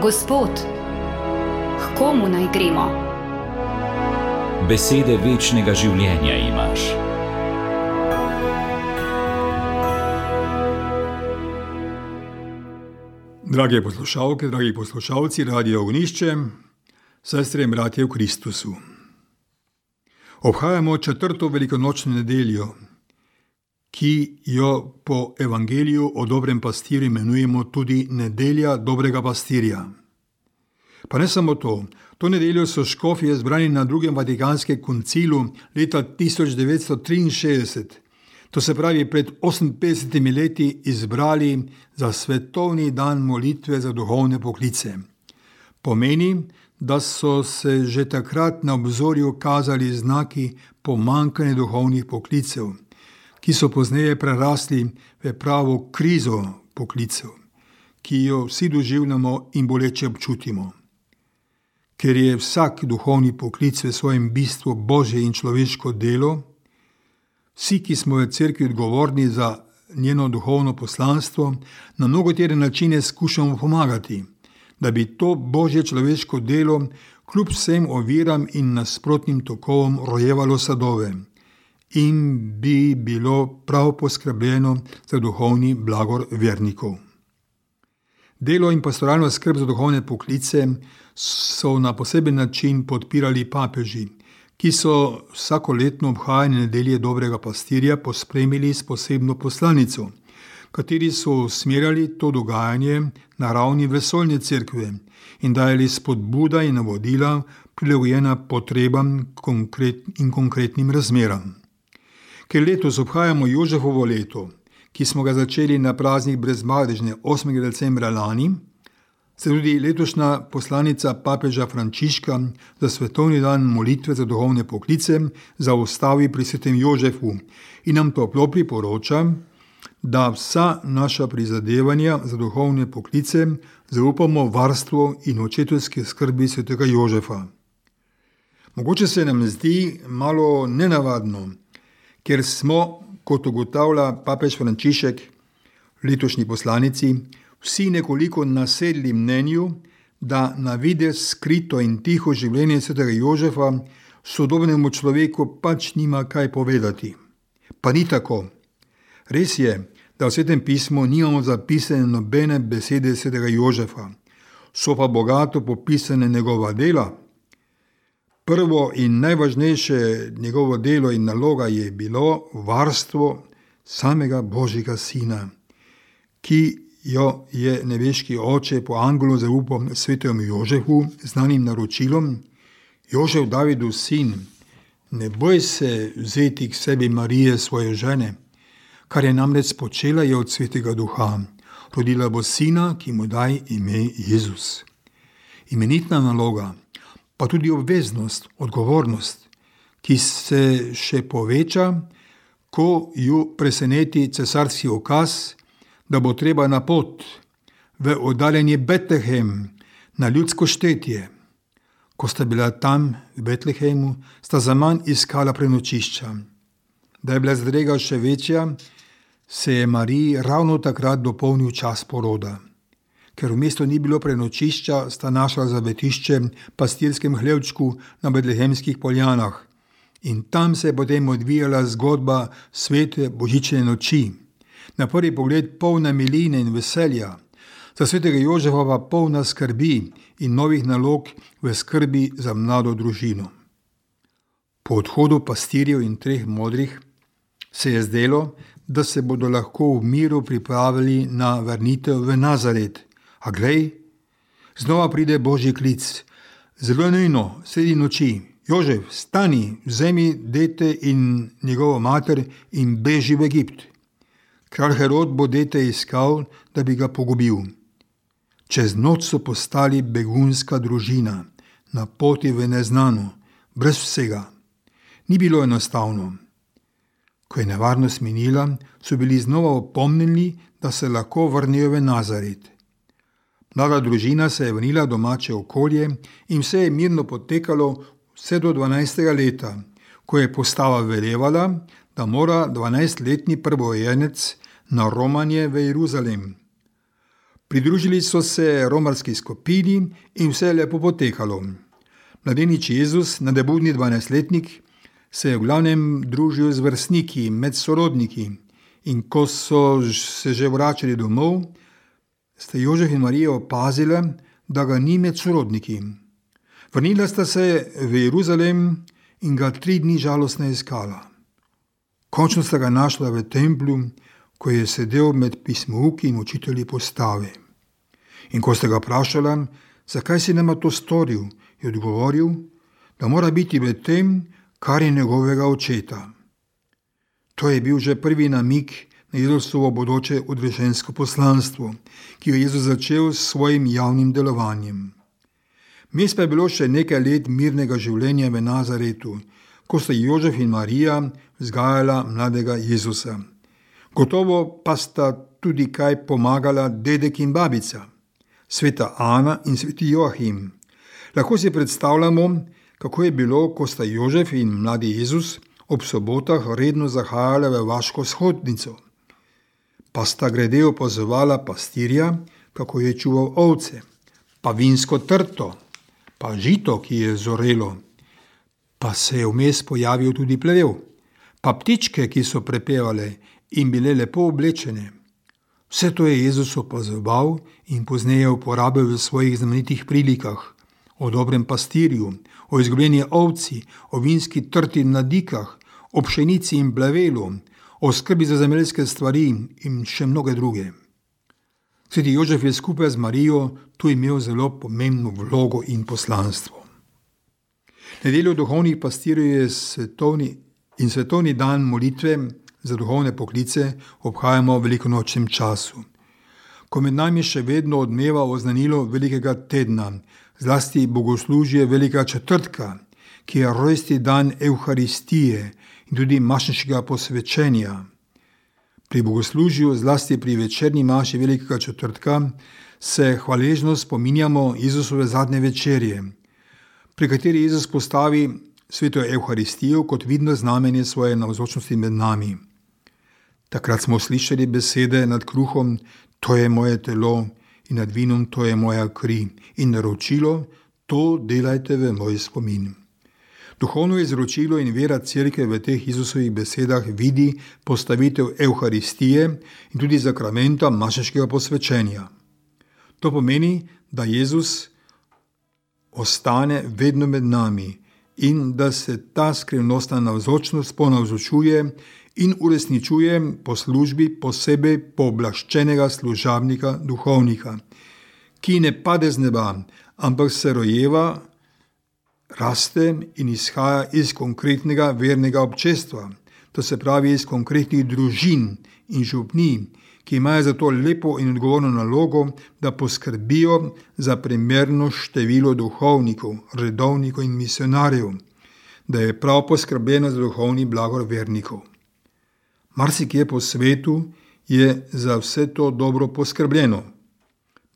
Gospod, k komu naj gremo? Besede večnega življenja imaš. Drage poslušalke, dragi poslušalci Radia Ognišče, sestre in bratje v Kristusu. Obhajamo 4. velikonočno nedeljo, ki jo po evangeliju o dobrem pastirju imenujemo tudi nedelja dobrega pastirja. Pa ne samo to nedeljo so škofje zbrani na 2. Vatikanskem koncilu leta 1963, to se pravi pred 58 leti, izbrali za svetovni dan molitve za duhovne poklice. Pomeni, da so se že takrat na obzorju kazali znaki pomanjkanja duhovnih poklicev, ki so pozneje prerasli v pravo krizo poklicev, ki jo vsi doživljamo in boleče občutimo. Ker je vsak duhovni poklic v svojem bistvu božje in človeško delo, vsi, ki smo v cerkvi odgovorni za njeno duhovno poslanstvo, na mnogotere načine skušamo pomagati, da bi to božje človeško delo kljub vsem oviram in nasprotnim tokovom rojevalo sadove in bi bilo prav poskrbljeno za duhovni blagor vernikov. Delo in pastoralno skrb za duhovne poklice so na poseben način podpirali papeži, ki so vsakoletno obhajanje nedelje dobrega pastirja pospremili s posebno poslanico, kateri so usmerjali to dogajanje na ravni vesoljne cerkve in dajali spodbuda in navodila prilagojena potrebam in konkretnim razmeram. Ker letos obhajamo Jožefovo leto, ki smo ga začeli na praznik Brezmadežne 8. decembra lani, se tudi letošnja poslanica papeža Frančiška za svetovni dan molitve za duhovne poklice zaustavi pri svetem Jožefu in nam toplo priporoča, da vsa naša prizadevanja za duhovne poklice zaupamo varstvu in očetovski skrbi svetega Jožefa. Mogoče se nam zdi malo nenavadno, ker smo, kot ugotavlja papež Frančišek, letošnji poslanici, vsi nekoliko nasedli mnenju, da na videz skrito in tiho življenje svetega Jožefa sodobnemu človeku pač nima kaj povedati. Pa ni tako. Res je, da v Svetem pismu nimamo zapisane nobene besede svetega Jožefa, so pa bogato popisane njegova dela. Prvo in najvažnejše njegovo delo in naloga je bilo varstvo samega Božjega sina, ki jo je nebeški oče po angelu zaupal svetemu Jožefu z znanim naročilom: Jožef, Davidov sin, ne boj se vzeti k sebi Marije, svoje žene, kar je namreč počela je od svetega duha. Rodila bo sina, ki mu daj ime Jezus. Imenitna naloga, pa tudi obveznost, odgovornost, ki se še poveča, ko ju preseneti cesarski ukaz, da bo treba na pot v oddaljenje Betlehem na ljudsko štetje. Ko sta bila tam v Betlehemu, sta zaman iskala prenočišča. Da je bila zadrega še večja, se je Mariji ravno takrat dopolnil čas poroda. Ker v mestu ni bilo prenočišča, sta našla zavetišče v pastirskem hlevčku na betlehemskih poljanah in tam se je potem odvijala zgodba svete božične noči. Na prvi pogled polna miline in veselja, za svetega Jožefa pa polna skrbi in novih nalog v skrbi za mlado družino. Po odhodu pastirjev in 3 modrih se je zdelo, da se bodo lahko v miru pripravili na vrnitev v Nazaret. A glej, znova pride Božji klic, zelo nujno, sredi noči: Jožef, stani, vzemi dete in njegovo mater in beži v Egipt. Kralj Herod bo dete iskal, da bi ga pogubil. Čez noč so postali begunska družina, na poti v neznano, brez vsega. Ni bilo enostavno. Ko je nevarnost minila, so bili znova opomnjeni, da se lahko vrnejo v Nazaret. Mlada družina se je vrnila v domače okolje in vse je mirno potekalo vse do 12. leta, ko je postava velevala, da mora 12-letni prvorojenec na romanje v Jeruzalem. Pridružili so se romarski skupini in vse je lepo potekalo. Mladenič Jezus, nadebudni 12-letnik, se je v glavnem družil z vrstniki, med sorodniki, in ko so se že vračali domov, sta Jožef in Marija opazila, da ga ni med sorodniki. Vrnila sta se v Jeruzalem in ga 3 dni žalostno iskala. Končno sta ga našla v templju, ko je sedel med pismouki in učitelji postave. In ko sta ga vprašala, zakaj si nama to storil, je odgovoril, da mora biti v tem, kar je njegovega očeta. To je bil že prvi namig na Jezusovo bodoče odrešensko poslanstvo, ki jo je Jezus začel s svojim javnim delovanjem. Mes pa je bilo še nekaj let mirnega življenja v Nazaretu, ko sta Jožef in Marija vzgajala mladega Jezusa. Gotovo pa sta tudi kaj pomagala dedek in babica, sveta Ana in sveti Joachim. Lahko si predstavljamo, kako je bilo, ko sta Jožef in mladi Jezus ob sobotah redno zahajala v vaško shodnico. Pa sta grede opazovala pastirja, kako je čuval ovce, pa vinsko trto, pa žito, ki je zorelo, pa se je vmes pojavil tudi plevel, pa ptičke, ki so prepevale in bile lepo oblečene. Vse to je Jezus opazoval in pozneje uporabil v svojih znamenitih prilikah, o dobrem pastirju, o izgubljeni ovci, o vinski trti na dikah, o pšenici in plevelu, o skrbi za zemeljske stvari in še mnoge druge. Sveti Jožef je skupaj z Marijo tu imel zelo pomembno vlogo in poslanstvo. Nedeljo duhovnih pastirjev je svetovni dan molitve za duhovne poklice obhajamo v velikonočnem času, ko med nami še vedno odmeva oznanilo velikega tedna, zlasti bogoslužje velikega četrtka, ki je rojstni dan Evharistije in tudi mašniškega posvečenja. Pri bogoslužju, zlasti pri večerni maši velikega četrtka, se hvaležno spominjamo Jezusove zadnje večerje, pri kateri Jezus postavi sveto Evharistijo kot vidno znamenje svoje navzočnosti med nami. Takrat smo slišali besede nad kruhom, to je moje telo, in nad vinom, to je moja kri, in naročilo, to delajte v moj spomin. Duhovno izročilo in vera cerkve v teh Jezusovih besedah vidi postavitev Evharistije in tudi sakramenta mašniškega posvečenja. To pomeni, da Jezus ostane vedno med nami in da se ta skrivnostna navzočnost ponavzočuje in uresničuje po službi posebej pooblaščenega služabnika, duhovnika, ki ne pade z neba, ampak se rojeva, raste in izhaja iz konkretnega vernega občestva, to se pravi iz konkretnih družin in župnij, ki imajo za to lepo in odgovorno nalogo, da poskrbijo za primerno število duhovnikov, redovnikov in misionarjev, da je prav poskrbljeno za duhovni blagor vernikov. Marsikje po svetu je za vse to dobro poskrbljeno.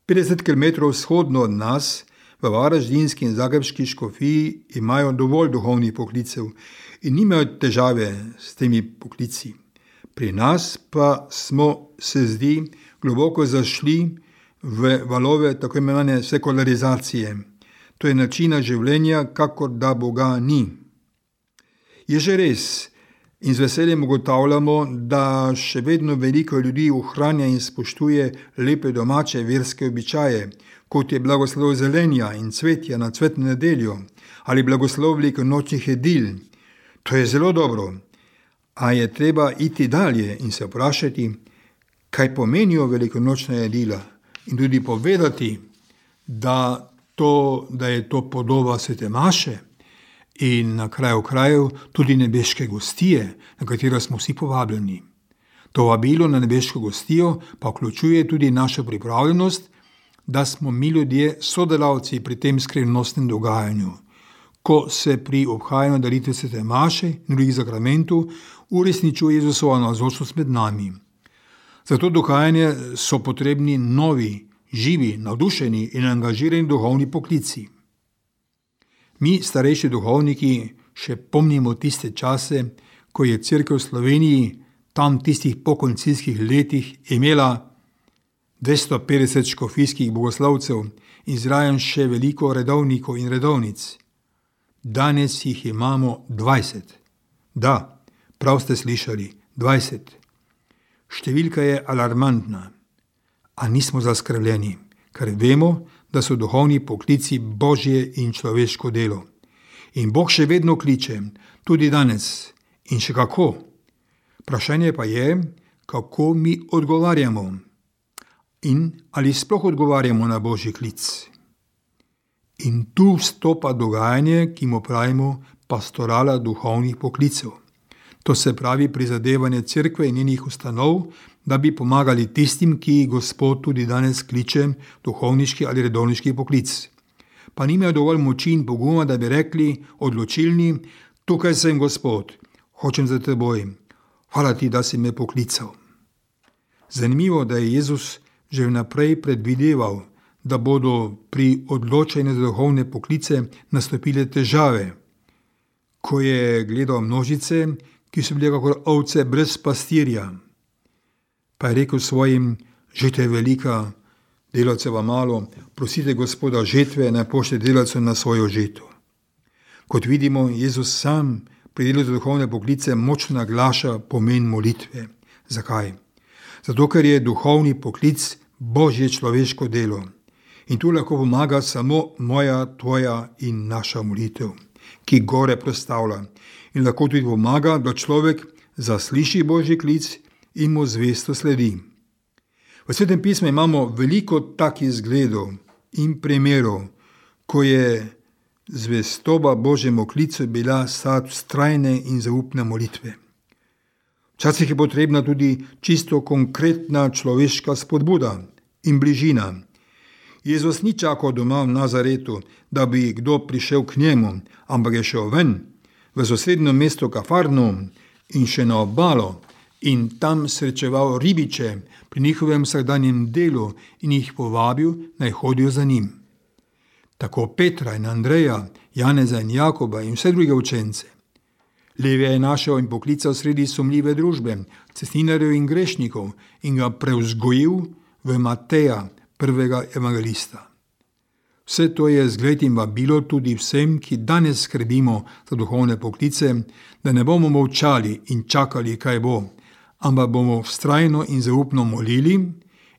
50 km vzhodno od nas, v varaždinski in zagrebški škofiji, imajo dovolj duhovnih poklicev in nimajo težave s temi poklici. Pri nas pa smo, se zdi, globoko zašli v valove tako imenovane sekularizacije. To je načina življenja, kakor da Boga ni. Je že res, in z veseljem ugotavljamo, da še vedno veliko ljudi ohranja in spoštuje lepe domače verske običaje, kot je blagoslov zelenja in cvetja na cvetno nedeljo ali blagoslov velikonočnih jedil. To je zelo dobro, a je treba iti dalje in se vprašati, kaj pomenijo velikonočna jedila in tudi povedati, da je to podoba svete maše in na kraju krajev tudi nebeške gostije, na katero smo vsi povabljeni. To vabilo na nebeško gostijo pa vključuje tudi našo pripravljenost, da smo mi ljudje sodelavci pri tem skrivnostnem dogajanju, ko se pri obhajanju daritve svete maše in drugih sakramentov uresničuje Jezusova navzočnost med nami. Za to dogajanje so potrebni novi, živi, navdušeni in angažirani duhovni poklici. Mi, starejši duhovniki, še pomnimo tiste čase, ko je cerkev v Sloveniji tam tistih pokoncilskih letih imela 250 škofijskih bogoslovcev in zraven še veliko redovnikov in redovnic. Danes jih imamo 20. Da, prav ste slišali, 20. Številka je alarmantna, a nismo zaskrbljeni, ker vemo, da so duhovni poklici božje in človeško delo. In Bog še vedno kliče, tudi danes, in še kako. Vprašanje pa je, kako mi odgovarjamo in ali sploh odgovarjamo na božji klic. In tu vstopa dogajanje, ki mu pravimo pastorala duhovnih poklicev. To se pravi prizadevanje cerkve in njenih ustanov, da bi pomagali tistim, ki Gospod tudi danes kliče duhovniški ali redovniški poklic. Pa nimajo dovolj moči in poguma, da bi rekli odločilni, tukaj sem Gospod, hočem za teboj, hvala ti, da si me poklical. Zanimivo, da je Jezus že vnaprej predvideval, da bodo pri odločanju za duhovne poklice nastopile težave, ko je gledal množice, ki so bile kakor ovce brez pastirja. Pa je rekel svojim, žetva je velika, delavceva malo, prosite Gospoda žetve, naj pošlje delavcev na svojo žeto. Kot vidimo, Jezus sam pri delu za duhovne poklice močno naglaša pomen molitve. Zakaj? Zato, ker je duhovni poklic božje človeško delo. In tu lahko pomaga samo moja, tvoja in naša molitev, ki gore prostavlja. In lahko tudi pomaga, da človek zasliši božji klic in mu zvesto sledi. V Svetem pismu imamo veliko takih zgledov in primerov, ko je zvestoba božjemu klicu bila sad vztrajne in zaupne molitve. Včasih je potrebna tudi čisto konkretna človeška spodbuda in bližina. Jezus ni čakal doma v Nazaretu, da bi kdo prišel k njemu, ampak je šel ven, v sosednjo mesto Kafarnaum in še na obalo in tam srečeval ribiče pri njihovem vsakdanjem delu in jih povabil, naj hodijo za njim. Tako Petra in Andreja, Janeza in Jakoba in vse druge učence. Levi je našel in poklical sredi sumljive družbe, cestninarjev in grešnikov in ga prevzgojil v Mateja, prvega evangelista. Vse to je zgled in vabilo tudi vsem, ki danes skrbimo za duhovne poklice, da ne bomo molčali in čakali, kaj bo, ampak bomo vztrajno in zaupno molili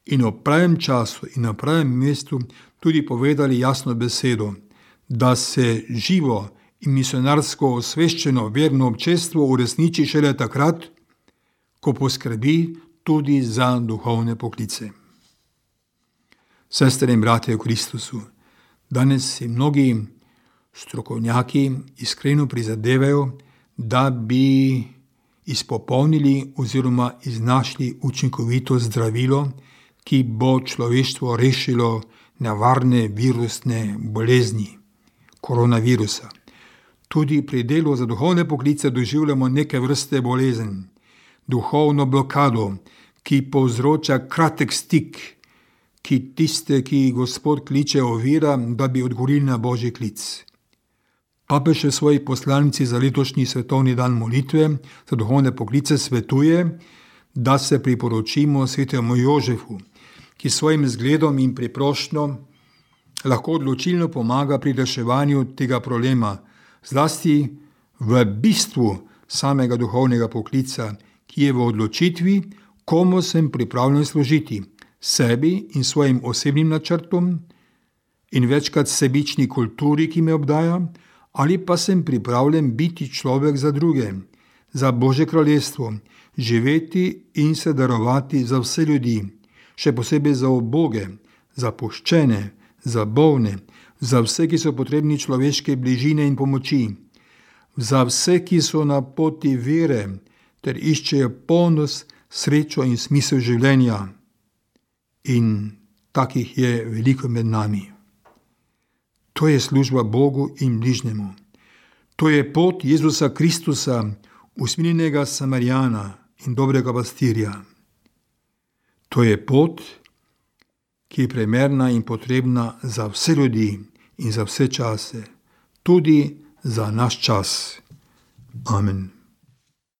in v pravem času in na pravem mestu tudi povedali jasno besedo, da se živo in misionarsko osveščeno verno občestvo uresniči šele takrat, ko poskrbi tudi za duhovne poklice. Sestre in bratje v Kristusu, danes si mnogi strokovnjaki iskreno prizadevajo, da bi izpopolnili oziroma iznašli učinkovito zdravilo, ki bo človeštvo rešilo nevarne virusne bolezni, koronavirusa. Tudi pri delu za duhovne poklice doživljamo neke vrste bolezen, duhovno blokado, ki povzroča kratek stik, ki tiste, ki Gospod kliče, ovira, da bi odgovorili na božji klic. Papež v svoji poslanici za letošnji svetovni dan molitve za duhovne poklice svetuje, da se priporočimo svetemu Jožefu, ki svojim zgledom in priprošnjo lahko odločilno pomaga pri reševanju tega problema, zlasti v bistvu samega duhovnega poklica, ki je v odločitvi, komu sem pripravljen služiti, sebi in svojim osebnim načrtom in večkrat sebični kulturi, ki me obdaja, ali pa sem pripravljen biti človek za druge, za Božje kraljestvo, živeti in se darovati za vse ljudi, še posebej za uboge, za puščene, za bolne, za vse, ki so potrebni človeške bližine in pomoči, za vse, ki so na poti vere ter iščejo polnost, srečo in smisel življenja. In takih je veliko med nami. To je služba Bogu in bližnjemu. To je pot Jezusa Kristusa, usmiljenega Samarijana in dobrega pastirja. To je pot, ki je primerna in potrebna za vse ljudi in za vse čase, tudi za naš čas. Amen.